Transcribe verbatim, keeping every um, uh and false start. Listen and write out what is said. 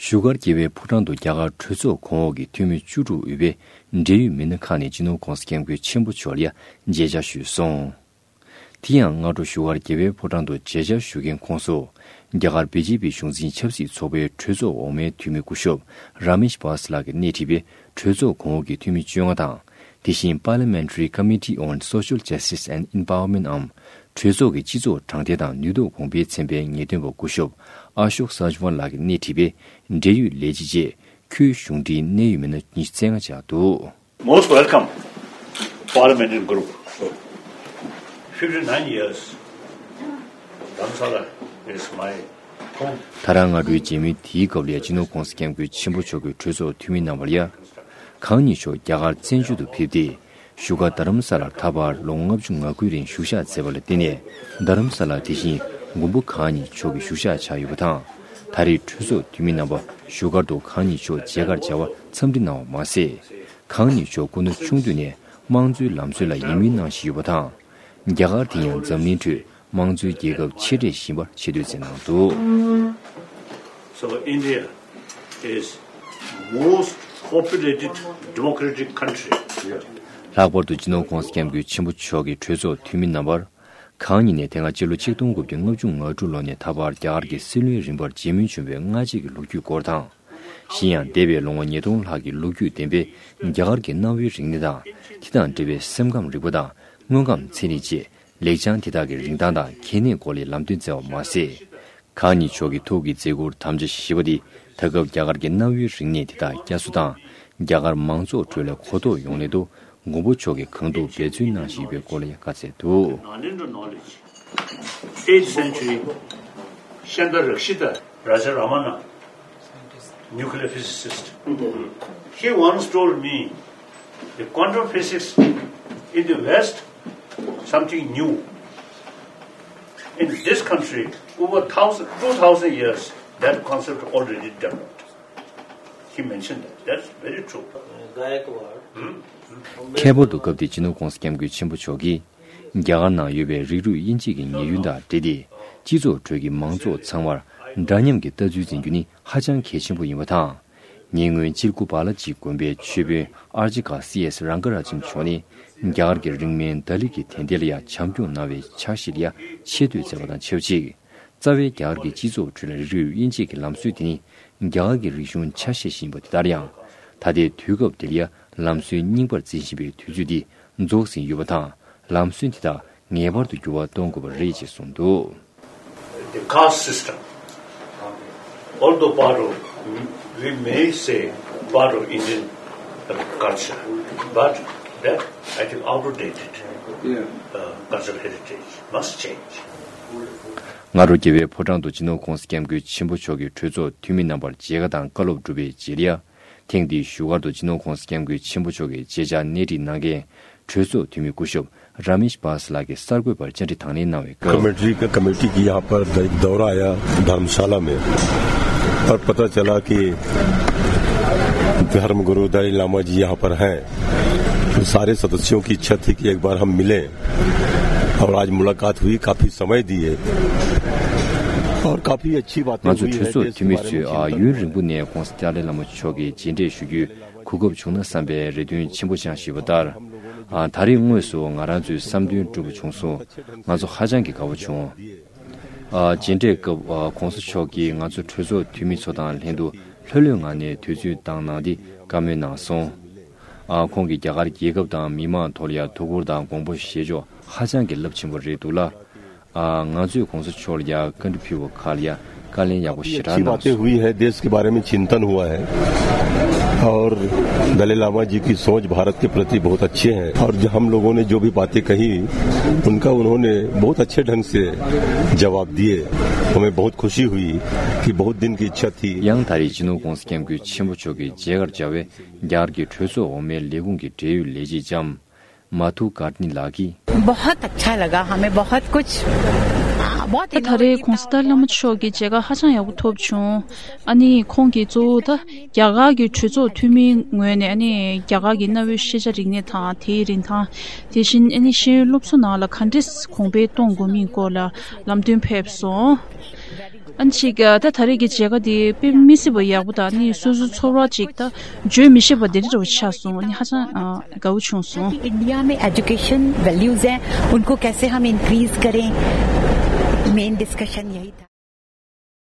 བཞུགས་སྒར་རྒྱལ་བའི་ཕོ་བྲང་དུ་རྒྱ་གར་གྲོས་ཚོགས་གོང་འོག་གི་འཐུས་མི་བཅུ་དྲུག་དབུས་པའི་འབྲེལ་ཡོད་མི་སྣ་ཁག་ནས་སྤྱི་ནོར་༸གོང་ས་༸སྐྱབས་མགོན་ཆེན་པོ་མཆོག་ལ་ཡ་མཇལ་བཅར་ཞུས་སོང་། དེ་ཡང་སྔ་དྲོ་བཞུགས་སྒར་རྒྱལ་བའི་ཕོ་བྲང་དུ་མཇལ་བཅར་ཞུ་མཁན་ཁོངས་སུ། རྒྱ་གར་བི་ཇེ་པི་གཞུང་འཛིན་ཆབ་སྲིད་ཚོགས་པའི་གྲོས་ཚོགས་འོག་མའི་འཐུས་མི་སྐུ་ཞབས་ར་མེཤ་བྷ་སི་ལགས་ཀྱིས་སྣེ་ཁྲིད་པའི་གྲོས་ཚོགས་གོང་འོག་གི་འཐུས་མི་བཅོ་ལྔ་དང་། དེ་བཞིན་Parliamentary Committee on Social Justice and Empowerment འམ་གྲོས་ཚོགས་ཀྱི་སྤྱི་ཚོགས་དྲང་བདེན་དང་ནུས་སྟོབས་གོང་འཕེལ་ཚན་པའི་ངེས་སྟོན་པ་སྐུ་ཞབས་ཨ་ཤོག་སཱ་ཇི་ཝན་ལགས་ཀྱིས་སྣེ་ཁྲིད་པའི་འབྲེལ་ཡོད་ལས་བྱེད་བཅས་ཁུལ་གཞུང་འབྲེལ་གནད་ཡོད་མི་སྣ་ཉི་ཤུ་རྩ་ལྔ་བཅར་འདུག། Most welcome, Parliamentary Group. Fifty-nine years, Dharamsala is my home. ད་རང་སྔ་དྲོའི་མཇལ་མོལ་དེའི་སྐབས་ལ་ཡ་སྤྱི་ནོར་༸གོང་ས་༸སྐྱབས་མགོན་ཆེན་པོ་མཆོག་གིས་གྲོས་ཚོགས་འཐུས་མི་རྣམ་པར་ཡ། གང་ཉིད་མཆོག་རྒྱ་གར་བཙན་བྱོལ་དུ་ཕེབས་ཏེ། བཞུགས་སྒར་རྡ་རམ་ས་ལར་ད་བར་ལོ་ངོ་ལྔ་བཅུ་ང་དགུ་རིང་བཞུགས་ཞག་མཛད་པ་ལ་བརྟེན་ནས། རྡ་རམ་ས་ལ་དེ་བཞིན་མགོན་པོ་གང་ཉིད་མཆོག་གི་བཞུགས་ཞག་ཆགས་ཡོད་པ་དང་། ད་རེས་གྲོས་ཚོགས་འཐུས་མི་རྣམ་པ་བཞུགས་སྒར་དུ་གང་ཉིད་མཆོག་མཇལ་ཁར་བཅར་བར་འཚམས་འདྲི་གནང་བ་མ་ཟད། གང་ཉིད་མཆོག་སྐུ་ན་ཆུང་དུས་ནས་དམངས་གཙོའི་ལམ་སྲོལ་ལ་ཡིད་སྨོན་གནང་བཞིན་ཡོད་པ་དང་། རྒྱ་གར་དེ་ཡང་འཛམ་གླིང་ཁྲོད་དམངས་གཙོའི་རྒྱལ་ཁབ་ཆེ་གྲས་ཤིག་ཡིན་པར་ཆེ་བསྟོད་མཛད་གནང་འདུག། So India is most populated democratic country. ལྷག་པར་དུ་སྤྱི་ནོར་༸གོང་ས་༸སྐྱབས་མགོན་ཆེན་པོ་མཆོག་གིས་གྲོས་ཚོགས་འཐུས་མི་རྣམ་པར། གང་ཉིད་ནས་དེ་སྔ་སྤྱི་ལོ་ཆིག་སྟོང་དགུ་བརྒྱ་ལྔ་བཅུ་ང་དྲུག་ལོ་ནས་ད་བར་རྒྱ་གར་གྱི་སྲིད་བློན་རིམ་པར་མཇལ་མོལ་བྱུང་བའི་སྔ་རྗེས་ཀྱི་ལོ་རྒྱུས་སྐོར་དང་། གཞན་ཡང་འདས་པའི་ལོ་ངོ་ཉིས་སྟོང་ལྷག་གི་ལོ་རྒྱུས་ལྡན་པའི་རྒྱ་གར་གྱི་གནའ་བོའི་རིག་གནས་དང་། དེ་དང་འབྲེལ་བའི་སེམས་ཁམས་རིག་པ་དང་དངོས་ཁམས་ཚན་རིག་བཅས་ལེགས་བྱང་དེ་དག་གི་རིན་ཐང་དང་གལ་གནད་སྐོར་ལ་ལམ་སྟོན་བསྩལ་བ་མ་ཟད། གང་ཉིད་མཆོག་གི་ཐུགས་ཀྱི་མཛད་ཁུར་དམ་བཅའ་བཞེས་པ་འདི་ད་སྐབས་རྒྱ་གར་གྱི་གནའ་བོའི་རིག་གནས་དེ་དག་བསྐྱར་གསོ་དང་། རྒྱ་གར་མང་ཚོགས་ཁྲོད་ལ་གོ་རྟོགས་ཡོང་སླད་དུ་མགོན་པོ་མཆོག་གིས་གང་ཐུབ་འབད་བརྩོན་གནང་བཞིན་ཡོད་པའི་སྐོར་ལ་ཡང་བཀའ་སྩལ་འདུག། Nalendra knowledge, eighth century, Shandar Rakshita, Raja Ramana, nuclear physicist. He once told me, the quantum physics in the West, something new. In this country, over thousand, two thousand years, that concept already developed. He mentioned that. That's very true. ཁྱད་པར་དུ་སྐབས་དེའི་སྤྱི་ནོར་༸གོང་ས་༸སྐྱབས་མགོན་ཆེན་པོ་མཆོག་གིས། རྒྱ་གར་ནང་ཡོད་པའི་རིགས་རུས་དབྱེ་འབྱེད་ཀྱི་ཉེས་སྐྱོན་དང་འབྲེལ་ཏེ། སྤྱི་ཚོགས་ཁྲོད་ཀྱི་མང་ཚོགས་ཚང་མར་འདྲ་མཉམ་གྱི་ལྟ་ཚུལ་འཛིན་རྒྱུ་ནི་ཧ་ཅང་གལ་ཆེན་པོ་ཡིན་པ་དང་། ཉེ་སྔོན་ཅིར་ཀུ་བ་ལ་ཇི་དགོན་པའི་མཆོད་དཔོན་ཨར་ཅི་ཀ་སི་ཨེས་རང་ཀ་ར་ཇན་མཆོག་ནས་རྒྱ་གར་གྱི་རིང་མིན་ད་ལི་གི་དད་ལྡན་ལ་ཡང་བྱམས་སྐྱོང་གནང་བའི་ཕྱག་བཞེས་ལ་ཡང་ཆེ་བསྟོད་མཛད་པ་དང་ཆབས་ཅིག། རྩ་བའི་རྒྱ་གར་གྱི་སྤྱི་ཚོགས་ཁྲོད་ལ་རིགས་རུས་དབྱེ་འབྱེད་ཀྱི་ལམ་སྲོལ་དེ་ནི་རྒྱ་གར་གྱི་རིག་གཞུང་ཆ་ཤས་ཤིག་ཡིན་པ་དེ་ལྟར་ཡང་། ད་ལྟའི་དུས་སྐབས་འདིར་ཡང་ལམ་སྲོལ་རྙིང་པར་འཛིན་བཞིན་པའི་དུས་ཚོད་འདི་རྫོགས་ཟིན་ཡོད་པ་དང་། ལམ་སྲོལ་འདི་དག་ངེས་པར་དུ་འགྱུར་བ་གཏོང་དགོས་པ་རེད་ཅེས་གསུངས་འདུག། The caste system, although part of, we may say part of Indian culture, but that, I think, outdated, yeah, uh, cultural heritage must change. སྔ་དྲོ་རྒྱལ་བའི་ཕོ་བྲང་དུ་སྤྱི་ནོར་༸གོང་ས་༸སྐྱབས་མགོན་ཆེན་པོ་མཆོག་གིས་གྲོས་ཚོགས་འཐུས་མི་རྣམ་པར་མཇལ་ཁ་དང་བཀའ་སློབ་བསྒྲུབས་པའི་རྗེས་ལ། ཐེངས་འདིའི་བཞུགས་སྒར་དུ་སྤྱི་ནོར་༸གོང་ས་༸སྐྱབས་མགོན་ཆེན་པོ་མཆོག་གི་མཇལ་བཅར་སྣེ་ཁྲིད་གནང་མཁན་གྲོས་ཚོགས་འཐུས་མི་སྐུ་ཞབས་ར་མེཤ་བྷ་སི་ལགས་ཀྱིས་གསར་འགོད་པར་བཅར་འདྲི་དང་ལེན་གནང་བའི་སྐབས། कमेटी का, कमेटी की यहाँ पर द-, दौरा आया धर्मशाला में और पता चला कि धर्म गुरु दलाई लामा जी यहाँ पर हैं। तो सारे सदस्यों की इच्छा थी कि एक बार हम मिलें और आज मुलाकात हुई, काफी समय दिए और काफी अच्छी बातें ང་ཚོ་གྲོས་ཚོགས་འཐུས་མི་ཚོས་ཨ་ཡུན་རིང་པོ་ནས་༸གོང་ས་ཏཱ་ལའི་བླ་མ་མཆོག་གི་མཇལ་འཕྲད་ཞུ་རྒྱུའི་གོ་སྐབས་བྱུང་ན་བསམ་པའི་རེ་འདུན་ཆེན་པོ་བཅངས་བཞིན་ཡོད་པ་ལྟར། ཨ་ད་རེས་དངོས་སུ་ང་རང་ཚོའི་བསམ་འདུན་འགྲུབ་པ་བྱུང་སོང་། ང་ཚོ་ཧ་ཅང་གི་དགའ་བོ་བྱུང་། ཨ་མཇལ་འཕྲད་སྐབས་ཨ་༸གོང་ས་མཆོག་གིས་ང་ཚོ་གྲོས་ཚོགས་འཐུས་མི་ཚོ་དང་ལྷན་དུ་ལྷོད་ལྷོད་ངང་ནས་དུས་ཚོད་བཏང་གནང་སྟེ་བཀའ་མོལ་གནང་སོང་། ཨ་ཁོང་གིས་རྒྱ་གར་རྒྱལ་ཁབ་དང་མི་མང་ཐོག་ལ་ཡང་ཐུགས་ཁུར་དང་དགོངས་པ་བཞེས་ཕྱོགས་ཧ་ཅང་གི་རླབས་ཆེན་པོ་རེད་འདུག་ལ། ཨ་ང་ཚོས་༸གོང་ས་མཆོག་ལ་ཡང་བཀའ་འདྲི་ཕུལ་བ་ཁག་ལ་ཡང་བཀའ་ལན་ཡག་པོ་ཞེ་དྲག་अच्छी གནང་बातें हुई है, देश के बारे में चिंतन हुआ है और दलाई लामा जी की सोच भारत के प्रति बहुत अच्छे हैं और जो हम लोगों ने जो भी बातें कही, उनका उन्होंने बहुत अच्छे ढंग से जवाब दिए। हमें बहुत खुशी हुई कि बहुत दिन की इच्छा थी। ཡང་ད་རེས་སྤྱི་ནོར་༸གོང་ས་༸སྐྱབས་མགོན་ཆེན་པོ་མཆོག་གི་མཇལ་ཁར་བཅར་བའི་རྒྱ་གར་གྱི་གྲོས་ཚོགས་འོག་མའི་ལས་ཁུངས་ཀྱི་འབྲེལ་ཡོད་ལས་བྱེད་ལྕམ་མ་ཐུ་ཀར་ནི་ལགས་ཀྱིས། बहुत अच्छा लगा हमें, बहुत कुछ, बहुत ད་ད་རེས་༸གོང་ས་ཏཱ་ལའི་བླ་མ་མཆོག་གི་མཇལ་ཁ་ཧ་ཅང་ཡག་པོ་ཐོབ་བྱུང་། ཨ་ནི་ཁོང་གིས་གཙོ་བོ་ད་རྒྱ་གར་གྱི་གྲོས་ཚོགས་འཐུས་མིའི་ངོས་ནས་ཨ་ནི་རྒྱ་གར་གྱི་གནའ་བོའི་ཤེས་བྱ་རིག་གནས་དང་དེའི་རིན་ཐང་། དེ་བཞིན་ཨ་ནི་ཤེས་ཡོན་སློབ་གསོ་ནང་ལ་ག་འདྲས་གོང་འཕེལ་གཏོང་དགོས་མིན་སྐོར་ལ་ལམ་སྟོན་ཕེབས་སོང་། ཨ་ནི་ཅིག་ད་ད་རེས་ཀྱི་མཇལ་ཁ་དེ་དཔེ་མི་སྲིད་པ་ཡག་པོ་དང་ནི་སོ་སོའི་ཚོར་བ་ཅིག་ད་བརྗོད་མི་ཤེས་པ་དེ་འདྲ་བ་ཆགས་སོང་། ཨ་ནི་ཧ་ཅང་དགའ་བོ་བྱུང་སོང་། इंडिया में एजुकेशन वैल्यूज हैं, उनको कैसे हम इंक्रीज करें, मेन डिस्कशन यही था।